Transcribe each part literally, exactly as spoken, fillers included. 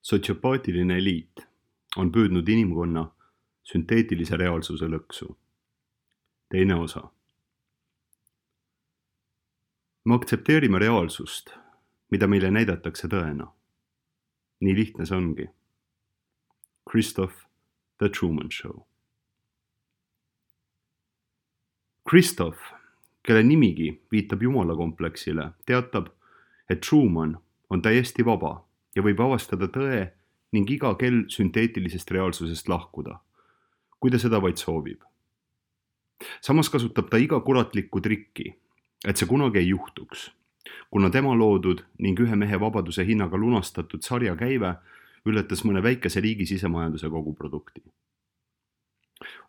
Sotsiopaatiline eliit on püüdnud inimkonna sünteetilise reaalsuse lõksu. Teine osa. Me aktsepteerime reaalsust, mida meile näidatakse tõena. Nii lihtne see ongi. Christoph The Truman Show. Christoph, kelle nimigi viitab jumalakompleksile, teatab, et Truman on täiesti vaba ja võib avastada tõe ning iga kell sünteetilisest reaalsusest lahkuda, kui ta seda vaid soovib. Samas kasutab ta iga kuratlikku trikki, et see kunagi ei juhtuks, kuna tema loodud ning ühe mehe vabaduse hinnaga lunastatud sarja käive ületas mõne väikese riigi sisemajanduse koguprodukti.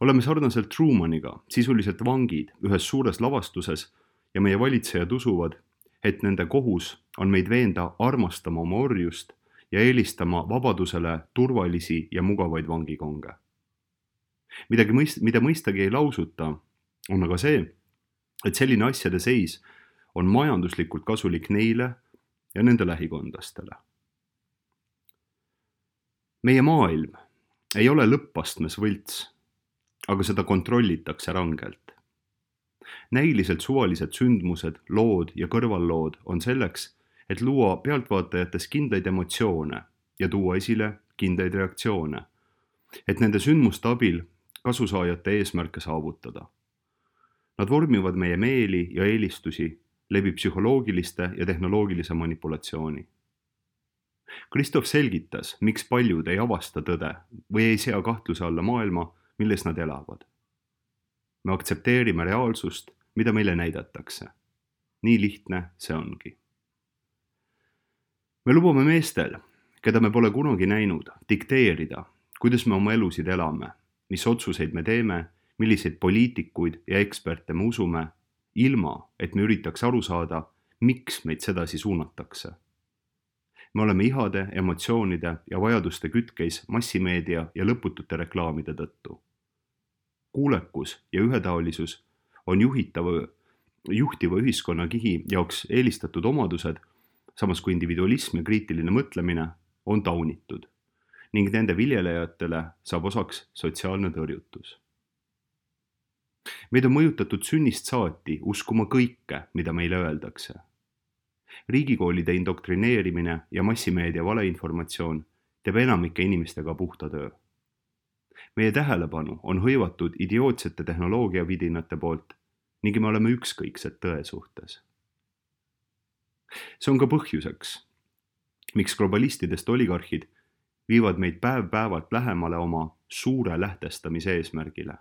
Oleme sarnaselt Trumaniga sisuliselt vangid ühes suures lavastuses ja meie valitsejad usuvad, et nende kohus on meid veenda armastama oma orjust ja eelistama vabadusele turvalisi ja mugavaid vangikonge. Midagi, mõist, mida mõistagi ei lausuta, on aga see, et selline asjade seis on majanduslikult kasulik neile ja nende lähikondlastele. Meie maailm ei ole lõppastmes võlts, aga seda kontrollitakse rangelt. Näiliselt suvalised sündmused, lood ja kõrvallood on selleks, et luua pealtvaatajates kindlaid emotsioone ja tuua esile kindlaid reaktsioone, et nende sündmuste abil kasusaajate eesmärke saavutada. Nad vormivad meie meeli ja eelistusi läbi psühholoogiliste ja tehnoloogilise manipulatsiooni. Christoph selgitas, miks paljud ei avasta tõde või ei sea kahtluse alla maailma, milles nad elavad. Me aktsepteerime reaalsust, mida meile näidatakse. Nii lihtne see ongi. Me lubame meestel, keda me pole kunagi näinud, dikteerida, kuidas me oma elusid elame, mis otsuseid me teeme, milliseid poliitikuid ja eksperte me usume, ilma, et me üritaks aru saada, miks meid sedasi suunatakse. Me oleme ihade, emotsioonide ja vajaduste kütkeis massimeedia ja lõputute reklaamide tõttu. Kuulekus ja ühetaolisus on juhitava, juhtiva ühiskonnakihi jaoks eelistatud omadused, samas kui individualism ja kriitiline mõtlemine on taunitud ning nende viljelejatele saab osaks sotsiaalne tõrjutus. Meid on mõjutatud sünnist saati uskuma kõike, mida meile öeldakse. Riigikoolide indoktrineerimine ja massimeedia valeinformatsioon teeb enamike inimestega puhta töö. Meie tähelepanu on hõivatud idiootsete tehnoloogiavidinate poolt ning me oleme ükskõiksed tõe suhtes. See on ka põhjuseks, miks globalistidest oligarhid viivad meid päev-päevalt lähemale oma suure lähtestamise eesmärgile.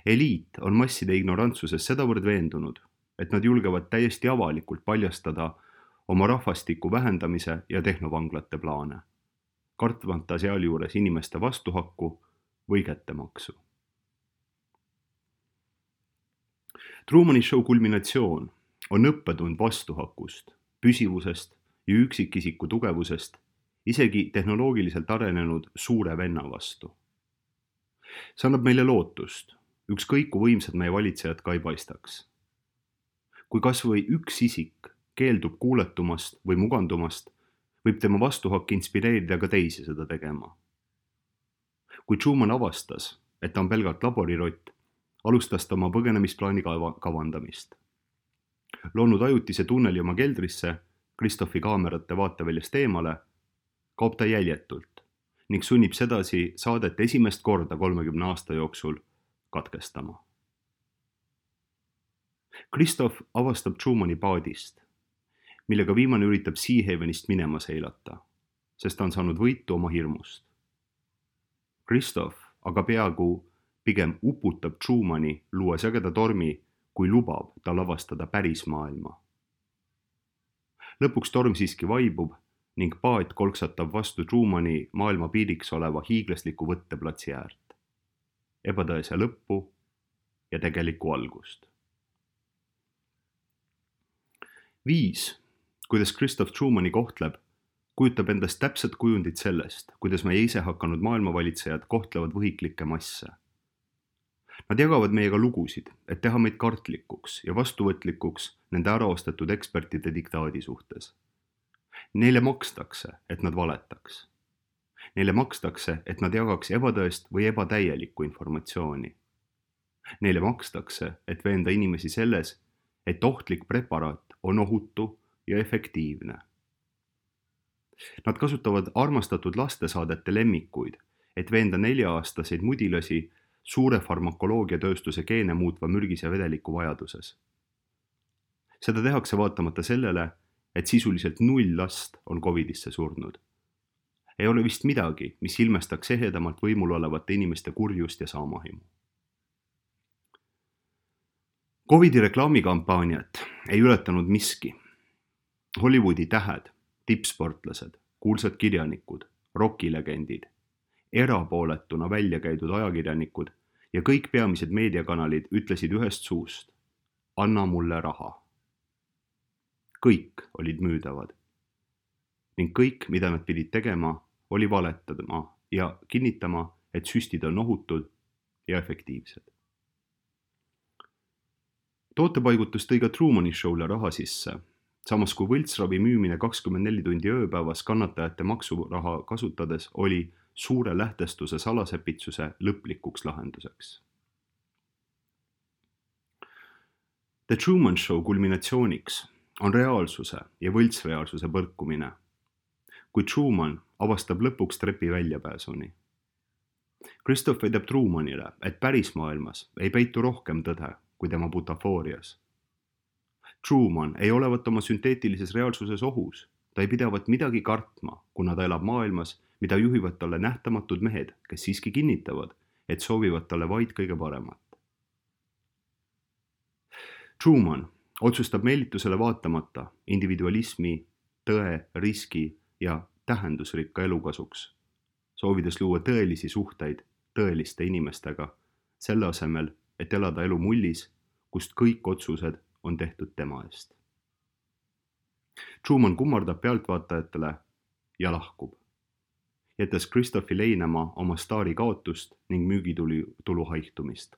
Eliit on masside ignorantsuses sedavõrd veendunud, et nad julgevad täiesti avalikult paljastada oma rahvastiku vähendamise ja tehnovanglate plaane, kartmata sealjuures inimeste vastuhakku või kättemaksu. Trumani show kulminatsioon on õppetund vastuhakust, püsivusest ja üksikisiku tugevusest, isegi tehnoloogiliselt arenenud suure venna vastu. See annab meile lootust, ükskõik kui võimsad meie valitsejad ka ei paistaks. Kui kas või üks isik keeldub kuuletumast või mugandumast, võib tema vastuhakk inspireerida ka teisi seda tegema. Kui Truman avastas, et ta on pelgalt laborirott, alustas ta oma põgenemisplaani kavandamist. Loonud ajutise tunneli oma keldrisse, Christophi kaamerate vaateväljast eemale, kaob ta jäljetult ning sunnib sedasi saadet esimest korda kolmekümne aasta jooksul katkestama. Christoph avastab Trumani paadist, millega viimane üritab Seahavenist minema seilata, sest ta on saanud võitu oma hirmust. Christoph aga peaaegu pigem uputab Trumani, luues ägeda tormi, kui lubab tal avastada päris maailma. Lõpuks torm siiski vaibub ning paat kolksatab vastu Trumani maailma piiriks oleva hiiglasliku võtteplatsi äärt, ebatõese lõppu ja tegelikku algust. Viis, kuidas Christoph Trumani kohtleb, kujutab endast täpset kujundit sellest, kuidas meie ise hakanud maailmavalitsejad kohtlevad võhiklikke masse. Nad jagavad meiega lugusid, et teha meid kartlikuks ja vastuvõtlikuks nende äraostetud ekspertide diktaadi suhtes. Neile makstakse, et nad valetaks. Neile makstakse, et nad jagaks ebatõest või ebatäielikku informatsiooni. Neile makstakse, et veenda inimesi selles, et ohtlik preparaat on ohutu ja efektiivne. Nad kasutavad armastatud lastesaadete lemmikuid, et veenda nelja-aastaseid mudilasi suure farmakoloogiatööstuse geene muutva mürgise vedeliku vajaduses. Seda tehakse vaatamata sellele, et sisuliselt null last on covidisse surnud. Ei ole vist midagi, mis ilmestaks ehedamalt võimul olevate inimeste kurjust ja saamahimu. Covidi reklaamikampaaniat ei ületanud miski. Hollywoodi tähed, tippsportlased, kuulsad kirjanikud, rokilegendid, erapooletuna välja käidud ajakirjanikud ja kõik peamised meediakanalid ütlesid ühest suust: anna mulle raha. Kõik olid müüdavad. Ning kõik, mida nad pidid tegema, oli valetama ja kinnitama, et süstid on ohutud ja efektiivsed. Tootepaigutus tõi ka Trumani show'le raha sisse, samas kui võltsravi müümine kakskümmend neli tundi ööpäevas kannatajate maksuraha kasutades oli suure lähtestuse salasepitsuse lõplikuks lahenduseks. The Truman Show kulminatsiooniks on reaalsuse ja võltsreaalsuse põrkumine, kui Truman avastab lõpuks trepi väljapääsuni. Christoph väidab Trumanile, et päris maailmas ei peitu rohkem tõde kui tema butafoorias. Truman ei olevat oma sünteetilises reaalsuses ohus, ta ei pidavat midagi kartma, kuna ta elab maailmas, mida juhivad talle nähtamatud mehed, kes siiski kinnitavad, et soovivad talle vaid kõige paremat. Truman otsustab meelitusele vaatamata individualismi, tõe, riski ja tähendusrikka elukasuks, soovides luua tõelisi suhteid tõeliste inimestega, selle asemel, et elada elu mullis, kust kõik otsused on tehtud tema eest. Truman kummardab pealtvaatajatele ja lahkub, jättes Christophi leinama oma staari kaotust ning müügitulu haihtumist.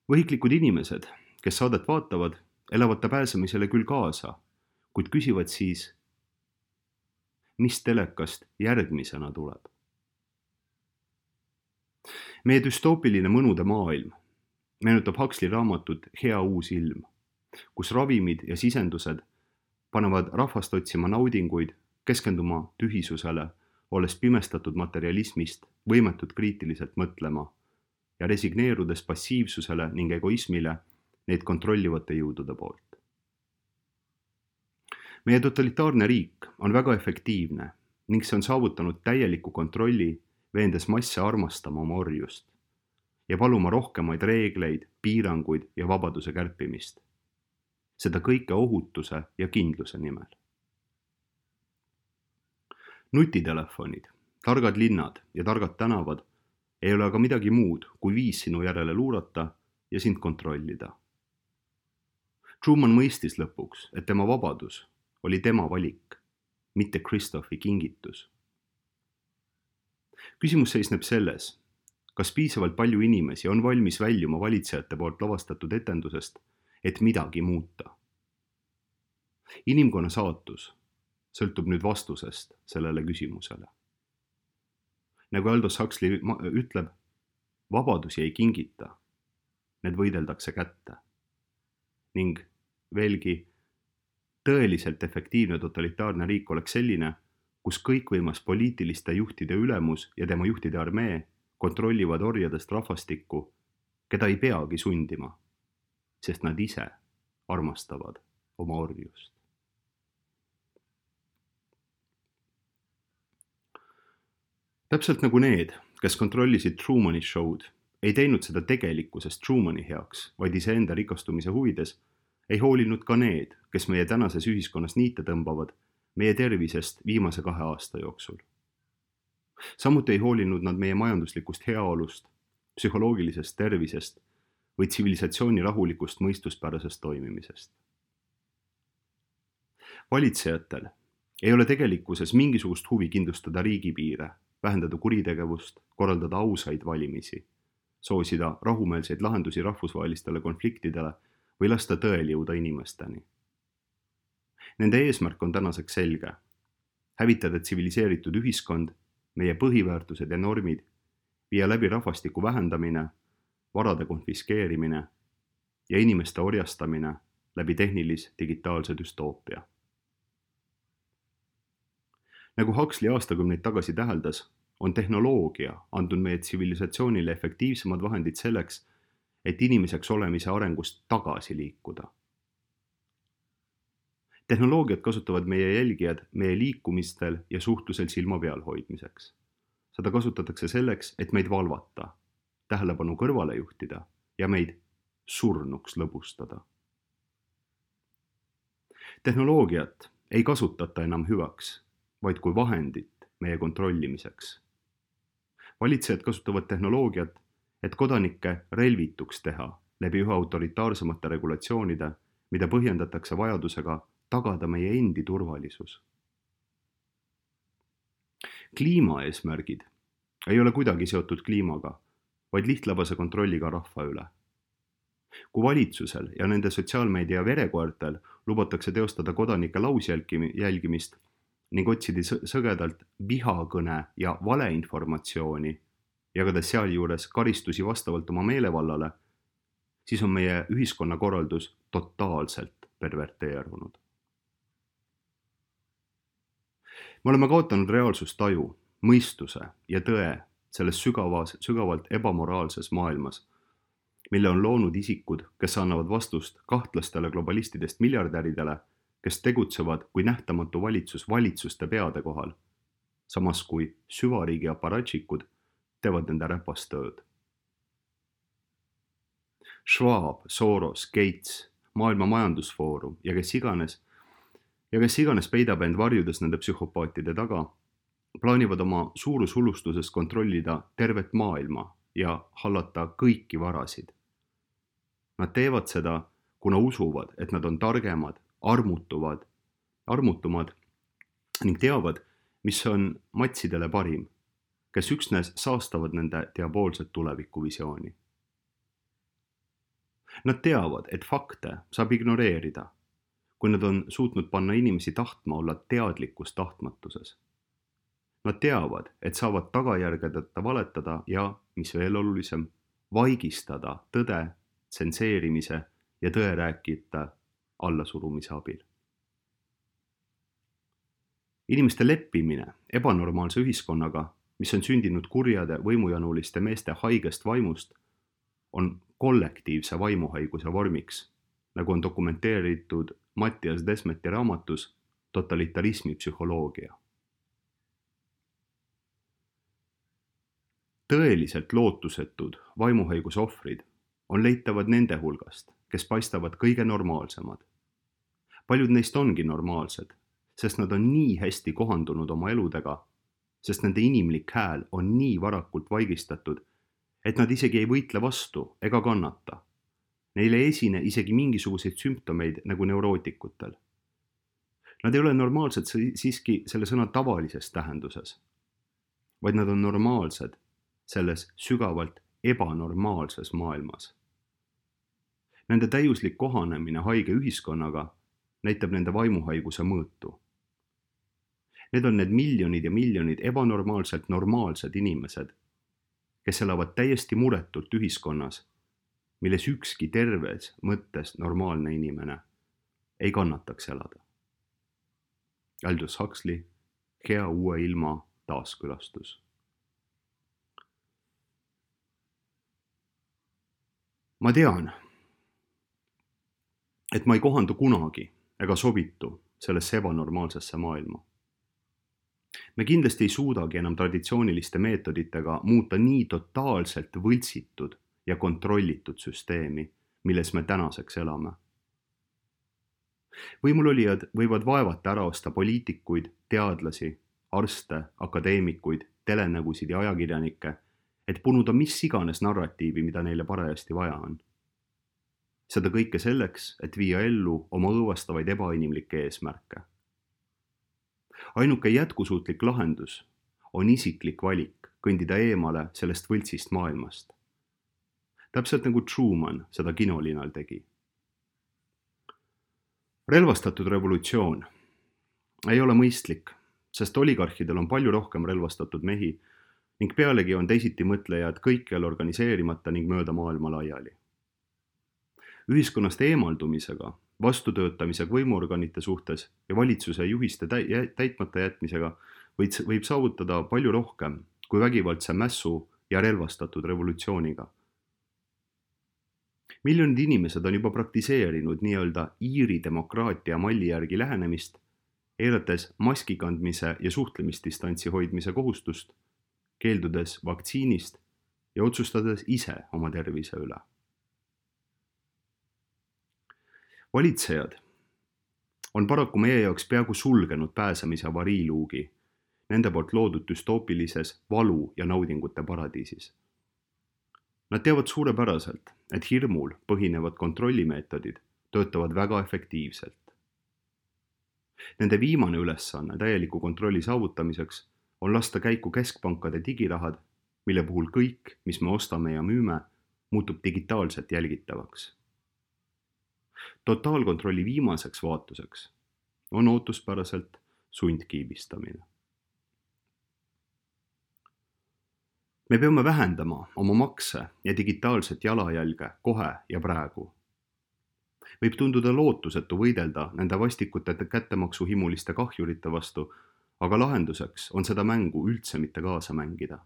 Võhiklikud inimesed, kes saadet vaatavad, elavad ta pääsemisele küll kaasa, kuid küsivad siis, mis telekast järgmisena tuleb. Meie düstoopiline mõnude maailm meenutab Huxley raamatut Hea uus ilm, kus ravimid ja sisendused panevad rahvast otsima naudinguid, keskenduma tühisusele, olles pimestatud materialismist, võimetud kriitiliselt mõtlema ja resigneerudes passiivsusele ning egoismile neid kontrollivate jõudude poolt. Meie totalitaarne riik on väga efektiivne ning see on saavutanud täieliku kontrolli, veendes masse armastama oma orjust ja paluma rohkemaid reegleid, piiranguid ja vabaduse kärpimist. Seda kõike ohutuse ja kindluse nimel. Nutitelefonid, targad linnad ja targad tänavad ei ole aga midagi muud, kui viis sinu järele luurata ja sind kontrollida. Truman mõistis lõpuks, et tema vabadus oli tema valik, mitte Christophi kingitus. Küsimus seisneb selles, kas piisavalt palju inimesi on valmis väljuma valitsejate poolt lavastatud etendusest, et midagi muuta. Inimkonna saatus sõltub nüüd vastusest sellele küsimusele. Nagu Aldous Huxley ütleb, vabadusi ei kingita, need võideldakse kätte. Ning veelgi, tõeliselt efektiivne totalitaarne riik oleks selline, kus kõikvõimas poliitiliste juhtide ülemus ja tema juhtide armee kontrollivad orjadest rahvastikku, keda ei peagi sundima, sest nad ise armastavad oma orjust. Täpselt nagu need, kes kontrollisid Trumani show'd, ei teinud seda tegelikkusest Trumani heaks, vaid iseenda rikastumise huvides, ei hoolinud ka need, kes meie tänases ühiskonnas niite tõmbavad meie tervisest viimase kahe aasta jooksul. Samuti ei hoolinud nad meie majanduslikust heaolust, psühholoogilisest tervisest või tsivilisatsiooni rahulikust mõistuspärasest toimimisest. Valitsejatel ei ole tegelikkuses mingisugust huvi kindlustada riigipiire, vähendada kuritegevust, korraldada ausaid valimisi, soosida rahumeelseid lahendusi rahvusvahelistele konfliktidele või lasta tõel jõuda inimesteni. Nende eesmärk on tänaseks selge. Hävitada tsiviliseeritud ühiskond, meie põhiväärtused ja normid, viia läbi rahvastiku vähendamine, varade konfiskeerimine ja inimeste orjastamine läbi tehnilis-digitaalse düstoopia. Nagu Huxley aastakümneid tagasi täheldas, on tehnoloogia andnud meie tsivilisatsioonile efektiivsemad vahendid selleks, et inimeseks olemise arengust tagasi liikuda. Tehnoloogiat kasutavad meie jälgijad meie liikumistel ja suhtlusel silma peal hoidmiseks. Seda kasutatakse selleks, et meid valvata, tähelepanu kõrvale juhtida ja meid surnuks lõbustada. Tehnoloogiat ei kasutata enam hüvaks, vaid kui vahendit meie kontrollimiseks. Valitsejad kasutavad tehnoloogiat, et kodanikke relvituks teha läbi üha autoritaarsemate regulatsioonide, mida põhjendatakse vajadusega tagada meie endi turvalisus. Kliimaeesmärgid ei ole kuidagi seotud kliimaga, vaid lihtlabase kontrolliga rahva üle. Kui valitsusel ja nende sotsiaalmeedia verekoertel lubatakse teostada kodanike lausjälgimist ning otsida sõgedalt vihakõne ja valeinformatsiooni, jagades sealjuures karistusi vastavalt oma meelevallale, siis on meie ühiskonnakorraldus totaalselt perverteerunud. Me oleme kaotanud reaalsustaju, mõistuse ja tõe selles sügavas, sügavalt ebamoraalses maailmas, mille on loonud isikud, kes annavad vastust kahtlastele globalistidest miljardäridele, kes tegutsevad kui nähtamatu valitsus valitsuste peade kohal, samas kui süvariigi aparatšikud teevad nende räpastööd. Schwab, Soros, Gates, Maailma Majandusfoorum ja kes iganes, ja kes iganes peidab end varjudes nende psühhopaatide taga, plaanivad oma suurushulustuses kontrollida tervet maailma ja hallata kõiki varasid. Nad teevad seda, kuna usuvad, et nad on targemad, armutuvad, armutumad ning teavad, mis on matsidele parim, kes üksnes saastavad nende diaboolset tulevikuvisiooni. Nad teavad, et fakte saab ignoreerida, kui nad on suutnud panna inimesi tahtma olla teadlikus tahtmatuses. Nad teavad, et saavad tagajärgedeta valetada ja, mis veel olulisem, vaigistada tõde, tsenseerimise ja tõe rääkijate allasurumise abil. Inimeste leppimine ebanormaalse ühiskonnaga, mis on sündinud kurjade võimujanuliste meeste haigest vaimust, on kollektiivse vaimuhaiguse vormiks, nagu on dokumenteeritud Mattias Desmeti raamatus Totalitarismi psühholoogia. Tõeliselt lootusetud vaimuhaiguse ohvrid on leitavad nende hulgast, kes paistavad kõige normaalsemad. Paljud neist ongi normaalsed, sest nad on nii hästi kohandunud oma eludega, sest nende inimlik hääl on nii varakult vaigistatud, et nad isegi ei võitle vastu ega kannata. Neile ei esine isegi mingisuguseid sümptomeid nagu neurootikutel. Nad ei ole normaalsed siiski selle sõna tavalises tähenduses, vaid nad on normaalsed selles sügavalt ebanormaalses maailmas. Nende täiuslik kohanemine haige ühiskonnaga näitab nende vaimuhaiguse mõõtu. Need on need miljonid ja miljonid ebanormaalselt normaalsed inimesed, kes elavad täiesti muretult ühiskonnas, milles ükski terves mõttes normaalne inimene ei kannataks elada. Aldous Huxley, Hea uue ilma taaskülastus. Ma tean, et ma ei kohandu kunagi ega sobitu sellesse ebanormaalsesse maailma. Me kindlasti ei suudagi enam traditsiooniliste meetoditega muuta nii totaalselt võltsitud ja kontrollitud süsteemi, milles me tänaseks elame. Võimulolijad võivad vaevata ära osta poliitikuid, teadlasi, arste, akadeemikuid, telenägusid ja ajakirjanikke, et punuda mis iganes narratiivi, mida neile parajasti vaja on. Seda kõike selleks, et viia ellu oma õõvastavaid ebainimlikke eesmärke. Ainuke jätkusuutlik lahendus on isiklik valik kõndida eemale sellest võltsist maailmast. Täpselt nagu Truman seda kinolinal tegi. relvastatud revolutsioon ei ole mõistlik, sest oligarhidel on palju rohkem relvastatud mehi ning pealegi on teisiti mõtlejad kõikjal organiseerimata ning mööda maailma laiali. Ühiskonnast eemaldumisega, vastutöötamisega võimuorganite suhtes ja valitsuse juhiste täitmata jätmisega võib saavutada palju rohkem kui vägivaldse mässu ja relvastatud revolutsiooniga. Miljonid inimesed on juba praktiseerinud nii-öelda Iiri demokraatia malli järgi lähenemist, eirates maski kandmise ja suhtlemisdistantsi hoidmise kohustust, keeldudes vaktsiinist ja otsustades ise oma tervise üle. Valitsejad on paraku meie jaoks peaaegu sulgenud pääsemise avariiluugi nende poolt loodud düstoopilises valu ja naudingute paradiisis. Nad teavad suurepäraselt, et hirmul põhinevad kontrollimeetodid töötavad väga efektiivselt. Nende viimane ülesanne täieliku kontrolli saavutamiseks on lasta käiku keskpankade digirahad, mille puhul kõik, mis me ostame ja müüme, muutub digitaalselt jälgitavaks. Totaalkontrolli viimaseks vaatuseks on ootuspäraselt sundkiibistamine. Me peame vähendama oma makse ja digitaalset jalajälge kohe ja praegu. Võib tunduda lootusetu võidelda nende vastikute kättemaksuhimuliste kahjurite vastu, aga lahenduseks on seda mängu üldse mitte kaasa mängida.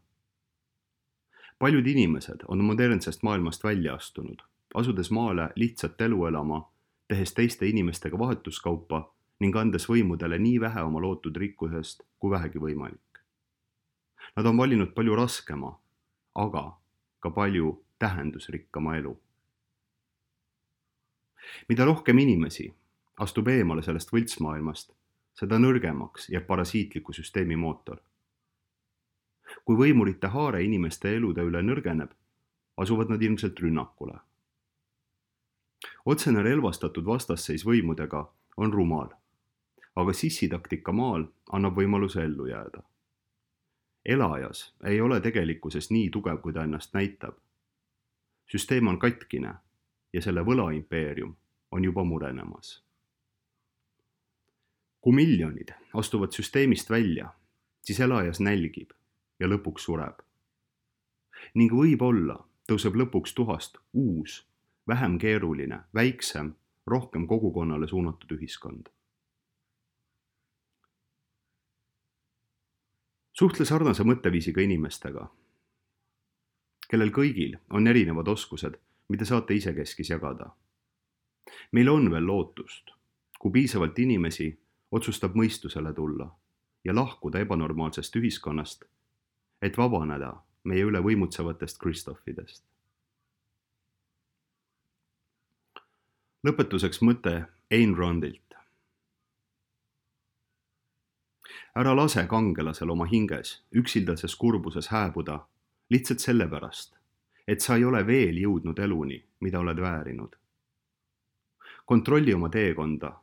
Paljud inimesed on modernsest maailmast välja astunud, asudes maale lihtsat elu elama, tehes teiste inimestega vahetuskaupa ning andes võimudele nii vähe oma lootud rikkusest kui vähegi võimalik. Nad on valinud palju raskema, aga ka palju tähendusrikkama elu. Mida rohkem inimesi astub eemale sellest võltsmaailmast, seda nõrgemaks jääb parasiitliku süsteemi mootor. Kui võimurite haare inimeste elude üle nõrgeneb, asuvad nad ilmselt rünnakule. Otsene relvastatud vastasseis võimudega on rumal, aga sissitaktika maal annab võimaluse ellu jääda. Elajas ei ole tegelikkuses nii tugev, kui ta ennast näitab. Süsteem on katkine ja selle võlaimpeerium on juba murenemas. Kui miljonid astuvad süsteemist välja, siis elajas nälgib ja lõpuks sureb. Ning võib-olla tõuseb lõpuks tuhast uus, vähem keeruline, väiksem, rohkem kogukonnale suunatud ühiskond. Suhtle sarnase mõtteviisiga inimestega, kellel kõigil on erinevad oskused, mida saate isekeskis jagada. Meil on veel lootust, kui piisavalt inimesi otsustab mõistusele tulla ja lahkuda ebanormaalsest ühiskonnast, et vabaneda meie üle võimutsevatest Kristoffidest. Lõpetuseks mõte Ayn Randilt. Ära lase kangelasel oma hinges üksildases kurbuses hääbuda lihtsalt sellepärast, et sa ei ole veel jõudnud eluni, mida oled väärinud. Kontrolli oma teekonda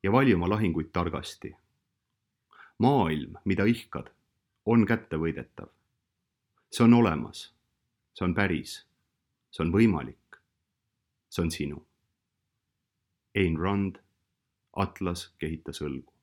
ja vali oma lahinguid targasti. Maailm, mida ihkad, on kättevõidetav. See on olemas, see on päris, see on võimalik, see on sinu. Ayn Rand, Atlas kehitas õlgu.